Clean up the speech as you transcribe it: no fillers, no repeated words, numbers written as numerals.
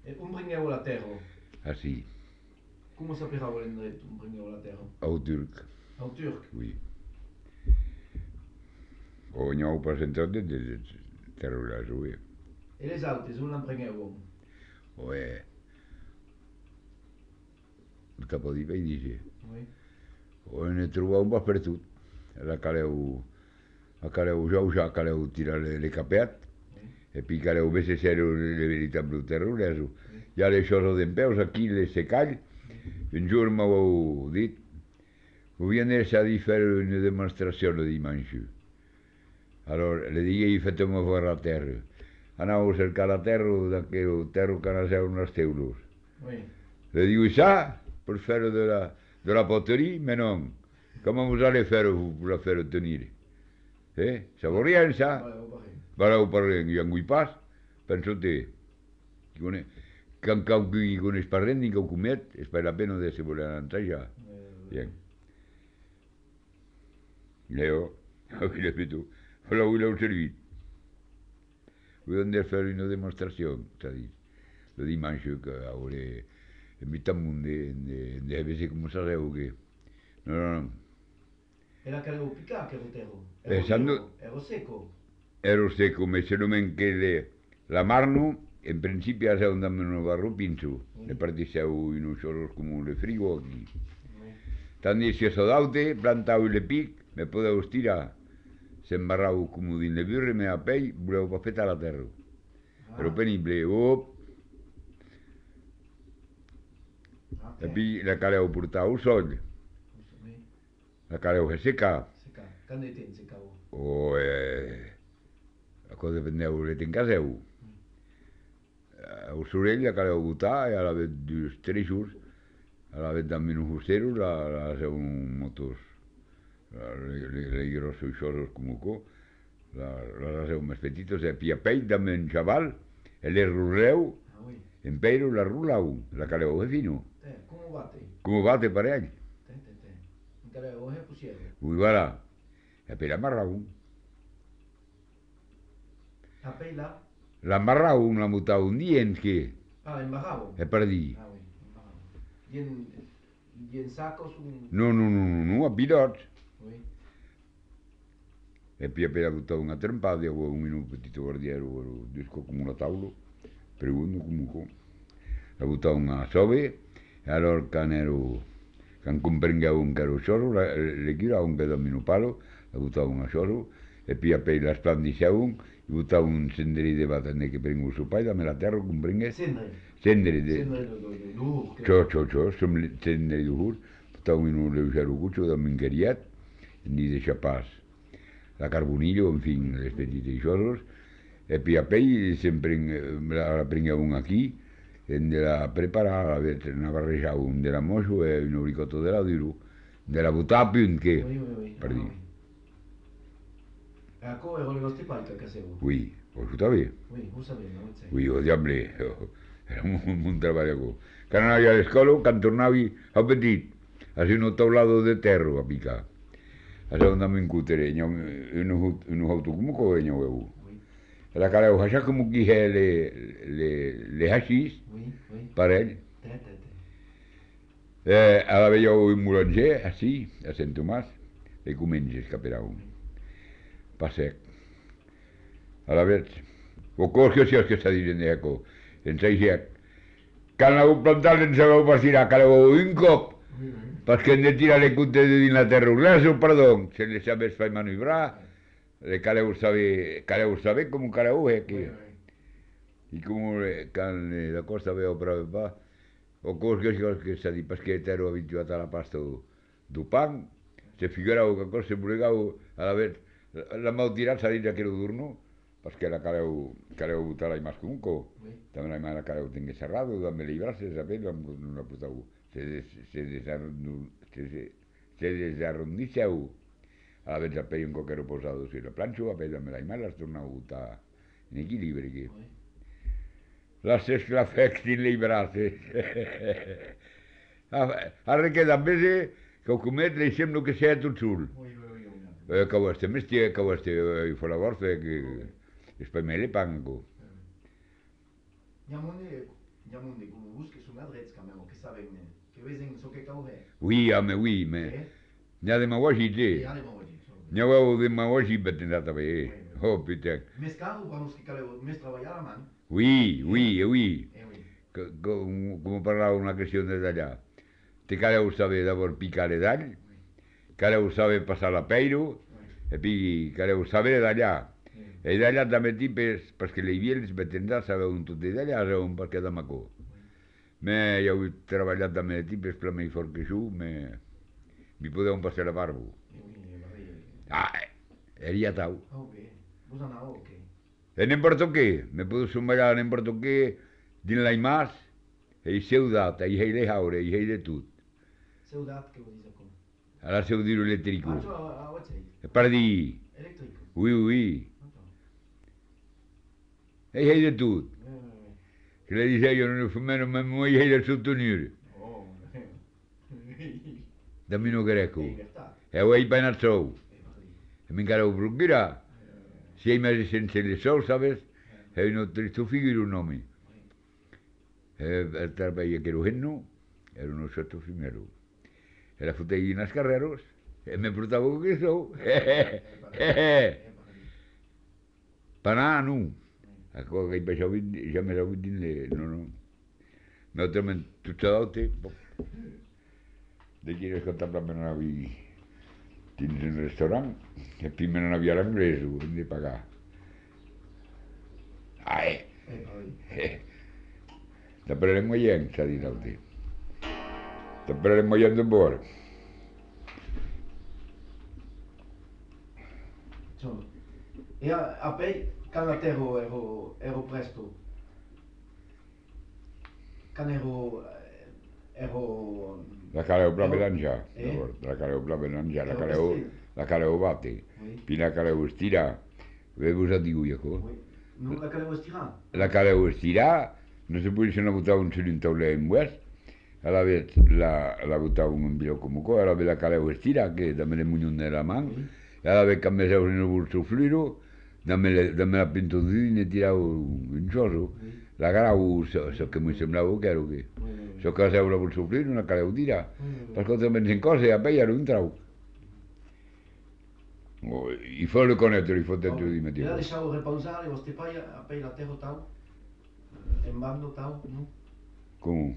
Un bringueu a la terra. Ah, si, Comment s'appellera l'endret, un bringueu a la terra? au turc, En turc. oui. O nhau presentat de terra jouer. Et les altes, un l'embringueu. Ouais. Cap a dir, vaig dir, Oui. on he trobat un pas per tot. La caleu ja caleu tirar le capeat, Oui. e puis caleu vese ser le veritable terroreso. Oui. Ja les xorros d'en peus aquí, les secall, un jour m'heu dit, vous venez a dir fer una demostració el dimanche. Alors, le digué, faites-moi voir la terra. Anau a cercar la terra, d'aquell terra que anaseu en els teulos. Oui. Le digo, ça, pour faire de la poterie, mais non. Comment vous allez faire pour la faire tenir? Ça vaut rien, ça. Voilà, au pareil. Voilà, ho parlem, i en vull pas, penso-te, quand qui coneix pas res ni que ho comet, és per la pena de se voler entrar ja. Bien. Leo, avui fet tu, avui l'heu servit. Vull hem de fer una demostració, s'ha dit. Le dimanche que hauré invitat un de veure com sabeu que... No. Era caleu picar, que rotero. Pensando, Ero seco. ero seco, me se nomen que la marno, en principi ha un dame no barro pincho, le partiseu in un xoros como le frigo aquí. Tandi si eso daute, plantau i le pic, me podeu estirar, s'embarrau como din le birre, me a pell, voleu pa feta la terra. Però penible, e puis la caleu portau al sol, la caleu seca, Seca. Quand était secao. o a cosa vendeu le tencaseu. El sorell la caleu botar, i a la vez dels treixos, a la vez també uns usteros, la seu un motos, le grossos xoros com co, la seu més petitos, e puis a pell també un xaval, el ruleu, en peiro la rulau, la caleu és fino. Como bate? Com bate per ell? Un caleu è pusiero. Ui, voilà, e per amarrau. A peila? L'amarrau, la mutau un dient que, Ah, embarrado. e per dir. Ah, oui, embarrado. Y en sacos un... No, a pilots. Oui. E poi appena buttato una trempata, avevo un petito guardiero, ero disco come una tavola, pregunto comunque. La buttavo una sove, e allora can comprengavo un caro scioro, le giravo un pedamino palo, la buttavo una scioro, e poi appena la splandicavo, buttavo un senderi di batane che prendo su pai, dammi la terra, comprende? Sendri. Senderi Sendri d'ur. senderi d'ur, buttavo in un leggero cuccio da mingheriat, e ni deixa pas. La carbonillo, en fin, les petites xoros, e poi a pell sempre la prengueu un aquí, en de la preparar, a veure, una barrejau un de la moixo e un obricotto de la duro, de la butar a punt, que? Oui. Per dir. Ecco, ero le vostre palche a caseo. Oui, ho està bé. Oui, vous savez, no? Oui, o diable, era un treball. Quan anava a l'escola, quan tornava a petit, a ser un taulado de terra a picar. A ser andava en cutere, un auto com que veniu. La caleu, això com que le hachís, per ell. A la veieu un mulanger, així, a Sant Tomàs, le comences caperau. Pa sec. A la veig. O cos que si és que s'ha dit en eco, en seixec. Quan l'heu plantat en sabeu pas tirar, caleu un cop, perquè hem de tirar le cuntes de dins la terra. Res, perdó, se les sabes fer manobrar, le caleu saber com un caleu, que... I com quan la costa veu prou pa, o cos que s'ha dit, perquè ero habituat a la pasta du pan, se figurau que cosa se volegau, a la vez, la m'heu tirat s'ha dit aquell durno, perquè la caleu botar la más com un co. També la caleu tingué cerrado, també librarse, saber, no la portau. Se desarrondisseu. A la vez el pell un coquero posado si la planxo, a pell també la l'has tornat a botar en equilibri, que... Las esclafec sin librarse. Ara que també que ho comet li sembla que sea tot sul. Que ho estem estia, que ho estem fora borsa, que és per me le pango. Diamond de como busques un adrets quand même, que saben, que vesen so que cau he. Oui, mais n'ia demagogie, E tu ale mo di. n'ia eu demagogie betendata be. Oh putain. Mes cau vamos que caleu, mes traballar a man. Oui, oui. oui. Oui. Como parlava una questión de allá. Te caleu sabe d'abord picar d'all, caleu sabe passar la peiro, e pi caleu sabe d'allà. E d'allà també tipes, perquè li havia els betendats sabeu un tot d'allà, sabeu perquè de macó. Me ja heu treballat també de tipes per més fort que jo, mi podeu passar la barba. Ah, era tau. Oh, bé. Vos anau, ok. E n'importo què, me puedo sumar a n'importo què, din la imas, e seu data, e hei le haure, e hei de tot. Seu dat que vos diz com. A la seu dir eléctrico. Ah, a what say? E per dir, Eléctrico. oui. E hei de tot. Que le dice io non fumeno me moi hei de sottenere. Oh. Dammi no greco. Libertà. E ho hei penat sou. E mi encara ho procura. Si hei mesi sense le sou, sabes? E no tristo figuro un nome. E trabalhei que era o henno, era uno sotto fimero. E la futei nas carreros, e me portava o que sou. Panà, nu. Ako che baixava ja me l'ho dit no. Nosaltres tutto l'altre, de qui escoltar per anar a dins un restaurant, e prima non havia l'anglès, ho hem de pagar. Després l'hem guanyat, s'ha dit l'altre. Després l'hem guanyat de bord. E a pei, can la terra ero presto. Can ero... La caleu proprio d'angià, la caleu proprio d'angià, la caleu bate, poi la caleu stira, avevo già di cui Non la caleu estirà? La caleu stira, non si può se ne buttava un cilindro in west, alla vez la buttava un bilo come qua, alla vez la caleu stira, che da me le mugno nella mano, e alla vez che mi sevo nel bolso fluido, da me la pinto di ne tiravo un giorno, la caleu, so che mi sembrava che ero che. So que la vol sofrir una caleu tira. Per contra pensen cose, a pei un trau. I fa le conetto, li fotte giù di metti. E la lasciavo riposare, o ste poi a pei la terra tau? En bando tau, no? Come?